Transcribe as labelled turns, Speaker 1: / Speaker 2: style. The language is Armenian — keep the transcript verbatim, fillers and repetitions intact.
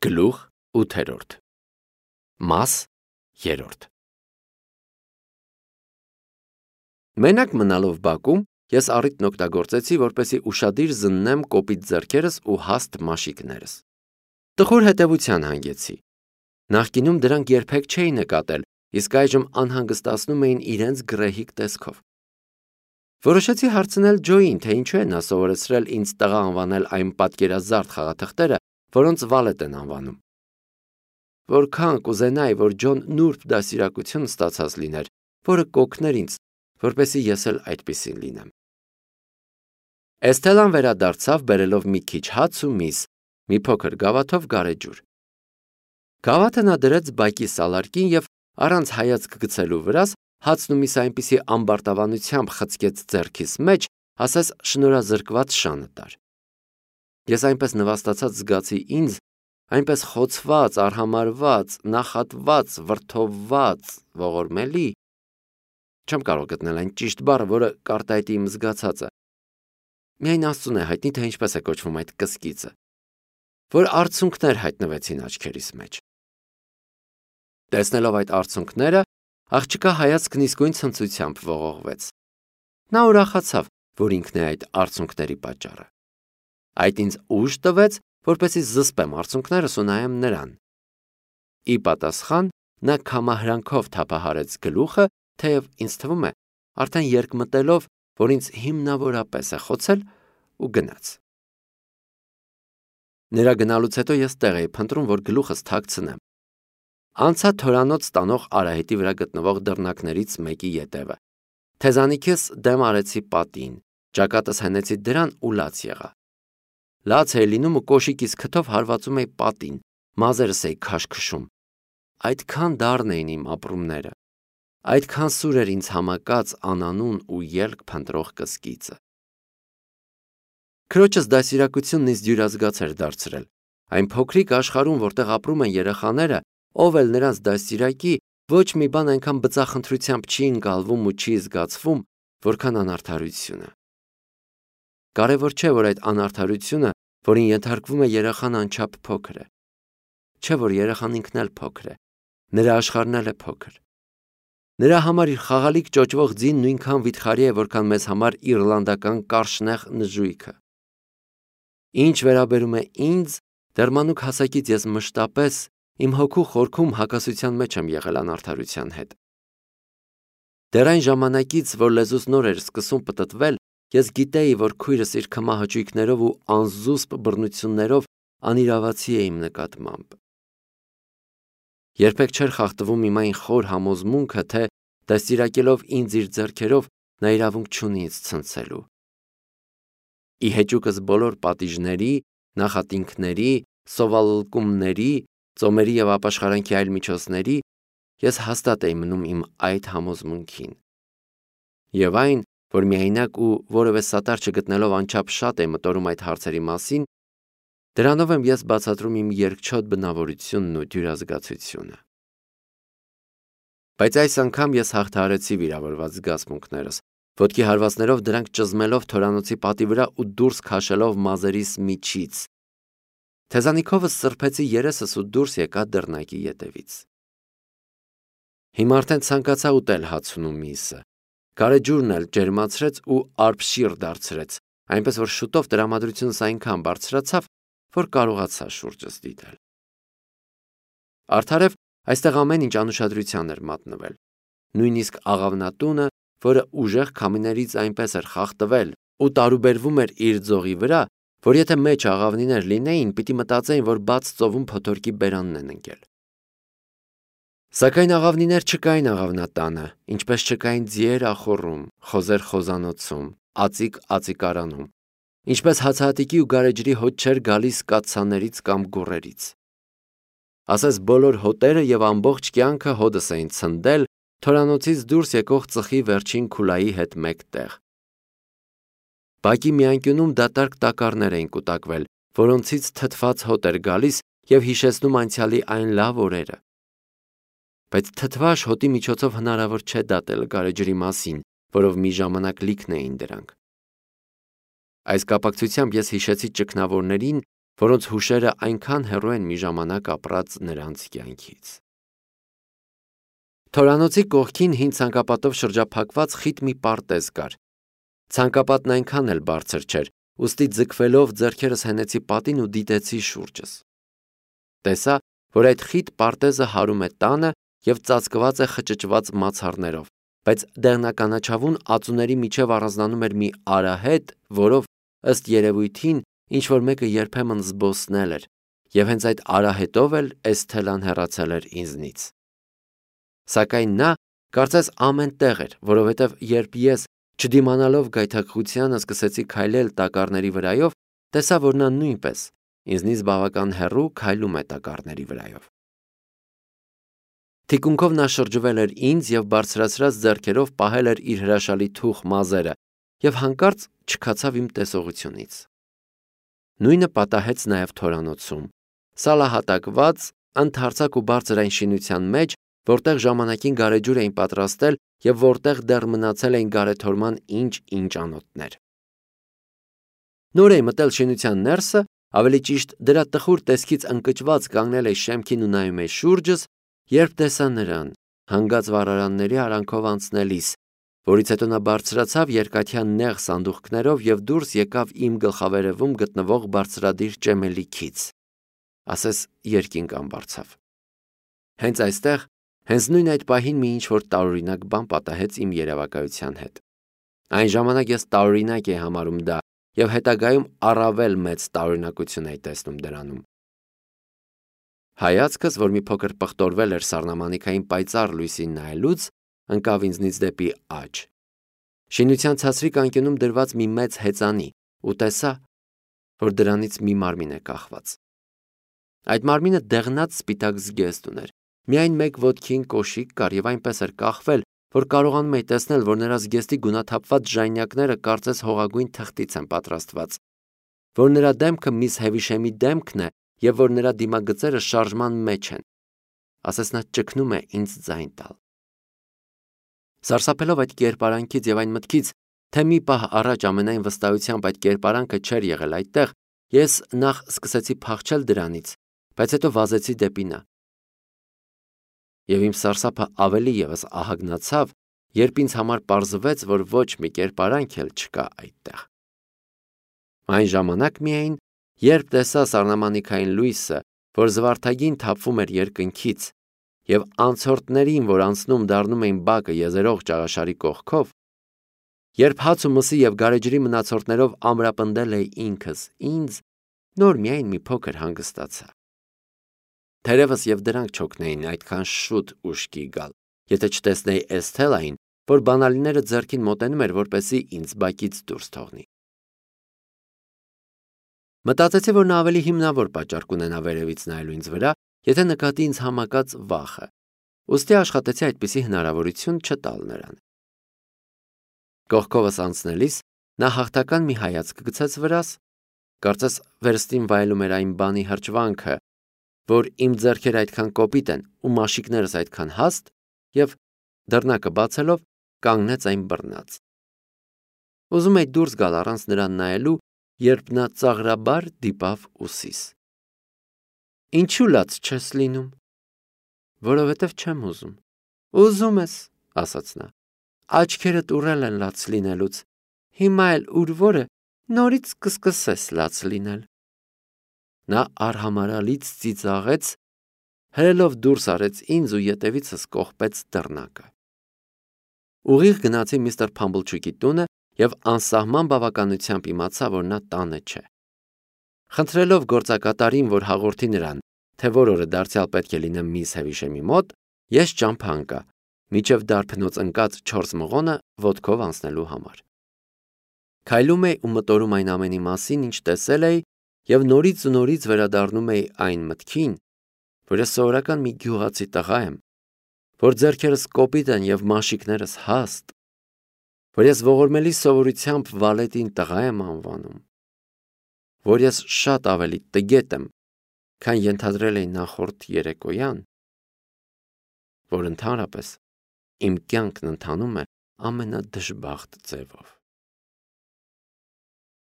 Speaker 1: Գլուխ ութերորդ Մաս երրորդ Մենակ մնալով բակում ես առիթն օգտագործեցի, որպեսզի ուշադիր զննեմ կոպիտ ձեռքերս ու հաստ մաշիկներս։ Տխուր հետևության հանգեցի։ Նախկինում դրանք երբեք չէի նկատել, իսկ այժմ անհանգստացնում էին իրենց գռեհիկ տեսքով։ Որոշեցի հարցնել Ջոյին, թե ինչու է նա սովորեցրել ինձ տղա անվանել այն պատկերազարդ խաղաթղթերը, որոնց Վալետ են անվանում։ Որքան կուզենայի, որ Ջոն նուրբ դաստիարակություն ստացած լիներ, որը կօգներ ինձ, որպեսզի ես էլ այդպիսին լինեմ։ Էսթելան վերադարձավ, բերելով մի քիչ հաց ու միս, մի փոքր գավաթով գարեջուր։ Գավաթը նա դրեց բակի սալարկին և առանց հայացք գցելու վրաս հացն ու միսը այնպիսի ամբարտավանությամբ խցկեց ձեռքիս մեջ, ասես շնորհազրկված շանը տար։ Ես այնպես նվաստացած զգացի ինձ, այնպես խոցված, արհամարհված, նախատված, վրդովված, ողորմելի, չեմ կարող գտնել այն ճիշտ բառը, որը կարտահայտի իմ զգացածը։ Միայն Աստծուն է հայտնի, թե ինչպես է կոչվում այդ կսկիծը, որ արցունքներ հայտնվեցին աչքերիս մեջ։ Տեսնելով այդ արցունքները, աղջկա հայացքն իսկույն ցնծությամբ ողողվեց։ Նա ուրախացավ, որ ինքն է այդ արցունքների պատճառը։ Այդ ինձ ուժ տվեց, որպեսզի զսպեմ արցունքներս ու նայեմ նրան։ Ի պատասխան նա քամահրանքով թափահարեց գլուխը, թեև ինձ թվում է, արդեն երկմտելով, որ ինձ հիմնավորապես է խոցել, ու գնաց։ Նրա գնալուց հետո ես տեղ էի փնտրում, որ գլուխս թաքցնեմ։ Անցա թորանոց տանող արահետի վրա գտնվող դռնակներից մեկի ետևը։ Թեզանիքս դեմ արեցի պատին, ճակատս հենեցի դրան ու լաց եղա։ Լաց էի լինում ու կոշիկիս քթով հարվածում էի պատին, մազերս էի քաշքշում։ Այդքան դառն էին իմ ապրումները, այդքան սուր էր ինձ համակած անանուն ու ելք փնտրող կսկիծը։ Քրոջս դաստիարակությունն ինձ դյուրազգաց էր դարձրել։ Այն փոքրիկ աշխարհում, որտեղ ապրում են երեխաները, ով էլ նրանց դաստիարակի, ոչ մի բան այնքան բծախնդրությամբ չի ընկալվում ու չի զգացվում, որքան անարդարությունը։ Կարևոր չէ, որ այդ անարդարությունը, որին ենթարկվում է երեխան, անչափ փոքր է։ Չէ, որ երեխան ինքն էլ փոքր է, նրա աշխարհն էլ է փոքր։ Նրա համար իր խաղալիք ճոճվող ձին նույնքան վիթխարի է, որքան մեզ համար իռլանդական կարշնեղ նժույգը։ Ինչ վերաբերում է ինձ, դեռ մանուկ հասակից ես մշտապես իմ հոգու խորքում հակասության մեջ եմ եղել անարդարության հետ։ Դեռ այն ժամանակից, որ լեզուս նոր էր սկսում պտտվել, ես գիտեի, որ քույրս իր քմահաճույքներով ու անզուսպ բռնություններով անիրավացի է իմ նկատմամբ։ Երբեք չէր խախտվում իմ այն խոր համոզմունքը, թե դաստիարակելով ինձ իր ձեռքերով, նա իրավունք չունի ինձ ցնցելու։ Ի հեճուկս բոլոր պատիժների, նախատինքների, սովալկումների, ծոմերի և ապաշխարանքի այլ միջոցների, ես հաստատ էի մնում իմ այդ համոզմունքին։ Եվ այն, որ միայնակ ու որևէ սատար չգտնելով անչափ շատ էի մտորում այդ հարցերի մասին, դրանով եմ ես բացատրում իմ երկչոտ բնավորությունն ու դյուրազգացությունը։ Բայց այս անգամ ես հաղթահարեցի վիրավորված զգացմունքներս, ոտքի հարվածներով դրանք ճզմելով թորանոցի պատի վրա ու դուրս քաշելով մազերիս միջից։ Թեզանիքովս սրբեցի երեսս ու դուրս եկա դռնակի ետևից։ Հիմա արդեն ցանկացա ուտել հացն ու միսը։ Գարեջուրն էլ ջերմացրեց ու արբշիր դարձրեց, այնպես որ շուտով տրամադրությունս այնքան բարձրացավ, որ կարողացա շուրջս դիտել։ Արդարև այստեղ ամեն ինչ անուշադրության էր մատնվել։ Նույնիսկ աղավնատունը, որը ուժեղ քամիներից այնպես էր խախտվել ու տարուբերվում էր իր ձողի վրա, որ եթե մեջ աղավնիներ լինեին, պիտի մտածեին, որ բաց ծովում փոթորկի բերանն են ընկել։ Սակայն աղավնիներ չկային աղավնատանը, ինչպես չկային ձիեր ախոռում, խոզեր խոզանոցում, ածիկ ածիկարանում, ինչպես հացահատիկի ու գարեջրի հոտ չէր գալիս կաթսաներից կամ գուռերից։ Ասես բոլոր հոտերը և ամբողջ կյանքը հոդս էին ցնդել թորանոցից դուրս եկող ծխի վերջին քուլայի հետ մեկտեղ։ Բակի մի անկյունում դատարկ տակառներ էին կուտակվել, որոնցից թթված հոտ էր գալիս և հիշեցնում անցյալի այն լավ օրերը։ Բայց թթվաշ հոտի միջոցով հնարավոր չէ դատել գարեջրի մասին, որով մի ժամանակ լիքն էին դրանք։ Այս կապակցությամբ ես հիշեցի ճգնավորներին, որոնց հուշերը այնքան հեռու են մի ժամանակ ապրած նրանց կյանքից։ Թորանոցի կողքին հին ցանկապատով շրջափակված խիտ մի պարտեզ կար։ Ցանկապատն այնքան էլ բարձր չէր, ուստի ձգվելով ձեռքերս հենեցի պատին ու դիտեցի շուրջս։ Տեսա, որ այդ խիտ պարտեզը հարում է տանը և ծածկված է խճճված մացառներով, բայց դեղնականաչավուն ածուների միջև առանձնանում էր մի արահետ, որով, ըստ երևույթին, ինչ-որ մեկը երբեմն զբոսնել էր, և հենց այդ արահետով էլ Էսթելան հեռացել էր ինձնից։ Սակայն նա կարծես ամեն տեղ էր, որովհետև երբ ես, չդիմանալով գայթակղությանը, սկսեցի քայլել տակառների վրայով, տեսա, որ նա նույնպես ինձնից բավական հեռու քայլում է տակառների վրայով։ Թիկունքով նա շրջվել էր ինձ և բարձրացրած ձեռքերով պահել էր իր հրաշալի թուխ մազերը և հանկարծ չքացավ իմ տեսողությունից։ Նույնը պատահեց նաև թորանոցում, սալահատակված, ընդարձակ ու բարձր այն շինության մեջ, որտեղ ժամանակին գարեջուր էին պատրաստել և որտեղ դեռ մնացել էին գարեթորման ինչ-ինչ անոթներ։ Նոր էի մտել շինության ներսը, ավելի ճիշտ դրա տխուր տեսքից ընկճված կանգնել էի շեմքին ու նայում էի շուրջս, երբ տեսա նրան, հանգած վառարանների արանքով անցնելիս, որից հետո նա բարձրացավ երկաթյա նեղ սանդուղքներով և դուրս եկավ իմ գլխավերևում գտնվող բարձրադիր ճեմելիքից, ասես երկինք անբարձավ։ Հենց այստեղ, հենց նույն այդ պահին մի ինչ-որ տարօրինակ բան պատահեց իմ երևակայության հետ։ Այն ժամանակ ես տարօրինակ էի համարում դա և հետագայում առավել մեծ տարօրինակություն էի տեսնում դրանում։ Հայացքս, որ մի փոքր պղտորվել էր սառնամանիքային պայծառ լույսին նայելուց, ընկավ ինձնից դեպի աջ։ Շինության ցածրիկ անկյունում դրված մի մեծ հեծանի ու տեսա, որ դրանից մի մարմին է կախված։ Այդ մարմինը դեղնած սպիտակ զգեստ ուներ, միայն մեկ ոտքին կոշիկ կար և այնպես էր կախվել, որ կարողանում էի տեսնել, որ նրա զգեստի գունաթափված ժանյակները կարծես հողագույն թղթից են պատրաստված, որ նրա դեմքը միս Հևիշեմի դեմքն է և որ նրա դիմագծերը շարժման մեջ են, ասես նա ճգնում է ինձ ձայն տալ։ Սարսափելով այդ կերպարանքից և այն մտքից, թե մի պահ առաջ ամենայն վստահությամբ այդ կերպարանքը չէր եղել այդտեղ, ես նախ սկսեցի փախչել դրանից, բայց հետո վազեցի դեպի նա։ Եվ իմ սարսափը ավելի ևս ահագնացավ, երբ ինձ համար պարզվեց, որ ոչ մի կերպարանք էլ չկա այդտեղ։ Այն ժամանակ միայն, երբ տեսա սառնամանիքային լույսը, որ զվարթագին թափվում էր երկնքից, և անցորդներին, որ անցնում դառնում էին բակը եզերող ճաղաշարի կողքով, երբ հաց ու մսի և գարեջրի մնացորդներով ամրապնդել էի ինքս ինձ, նոր միայն մի փոքր հանգստացա։ Թերևս և դրանք չօգնեին այդքան շուտ ուշքի գալ, եթե չտեսնեի Էսթելային, որ բանալիները ձեռքին մոտենում էր, որպեսզի ինձ բակից դուրս թողնի։ Մտածեցի, որ նա ավելի հիմնավոր պատճառ կունենա վերևից նայելու ինձ վրա, եթե նկատի ինձ համակած վախը, ուստի աշխատեցի այդպիսի հնարավորություն չտալ նրան։ Կողքովս անցնելիս նա հաղթական մի հայացք գցեց վրաս, կարծես վերստին վայելում էր այն բանի հրճվանքը, որ իմ ձեռքերը այդքան կոպիտ են ու մաշիկներս այդքան հաստ, և դռնակը բացելով կանգնեց այն բռնած։ Ուզում էի դուրս գալ առանց նրան նայելու, երբ նա ծաղրաբար դիպավ ուսիս։ Ինչու լաց չես լինում։ Որովհետև չեմ ուզում։ Ուզում ես, ասաց նա։ Աչքերդ ուռել են լաց լինելուց, հիմա էլ ուր որը նորից կսկսես լաց լինել։ Նա արհամարհալից ծիծաղեց, հրելով դուրս արեց ինձ ու ետևիցս կողպեց դռնակը։ Ուղիղ գնացի միստր Փամբլչուկի տունը և անսահման բավականությամբ իմացա, որ նա տանը չէ։ Խնդրելով գործակատարին, որ հաղորդի նրան, թե որ օրը դարձյալ պետք է լինեմ միս Հևիշեմի մոտ, ես ճամփա ընկա, մինչև դարբնոց ընկած չորս մղոնը ոտքով անցնելու համար։ Քայլում էի ու մտորում այն ամենի մասին, ինչ տեսել էի, և նորից ու նորից վերադառնում էի այն մտքին, որ ես սովորական մի գյուղացի տղա եմ, որ ձեռքերս կոպիտ են և մաշիկներս հաստ, որ ես ողորմելի սովորությամբ Վալետին տղա եմ անվանում, որ ես շատ ավելի տգետ եմ, քան ենթադրել էի նախորդ երեկոյան, որ ընդհանրապես իմ կյանքն ընթանում է ամենադժբախտ ձևով։